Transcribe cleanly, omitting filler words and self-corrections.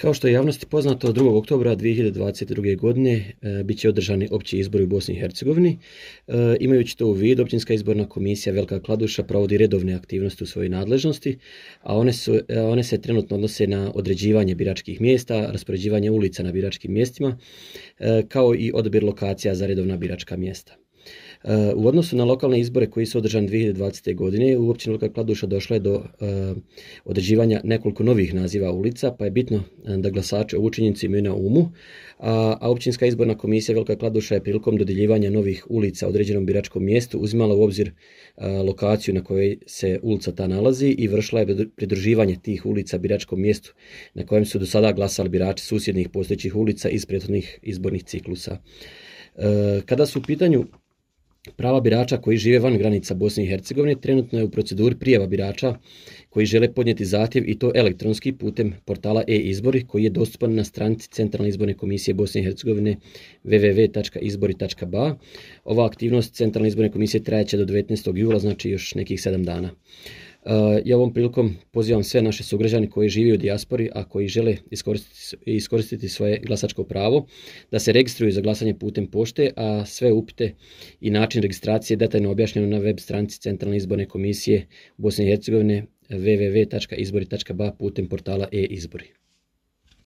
Kao što je javnosti poznato, 2. oktobra 2022. godine bit će održani opći izbori u Bosni i Hercegovini. Imajući to u vidu, Općinska izborna komisija Velika Kladuša provodi redovne aktivnosti u svojoj nadležnosti, a one se trenutno odnose na određivanje biračkih mjesta, raspoređivanje ulica na biračkim mjestima, kao i odabir lokacija za redovna biračka mjesta. U odnosu na lokalne izbore koji su održani 2020. godine u općini Velika Kladuša došlo je do određivanja nekoliko novih naziva ulica, pa je bitno da glasači ovu činjenicu imaju na umu, a Općinska izborna komisija Velika Kladuša je prilikom dodjeljivanja novih ulica određenom biračkom mjestu uzimala u obzir lokaciju na kojoj se ulica ta nalazi i vršila je pridruživanje tih ulica biračkom mjestu na kojem su do sada glasali birači susjednih postojećih ulica iz prethodnih izbornih ciklusa. Kada su u pitanju prava birača koji žive van granica Bosne i Hercegovine, trenutno je u proceduri prijava birača koji žele podnijeti zahtjev i to elektronski putem portala e-izbori koji je dostupan na stranici Centralne izborne komisije Bosne i Hercegovine www.izbori.ba. Ova aktivnost Centralne izborne komisije trajaće do 19. jula, znači još nekih 7 dana. Ja ovom prilikom pozivam sve naše sugrađane koji žive u dijaspori, a koji žele iskoristiti svoje glasačko pravo, da se registruju za glasanje putem pošte, a sve upite i način registracije detaljno objašnjeno na web stranici Centralne izborne komisije Bosne i Hercegovine www.izbori.ba putem portala e-izbori.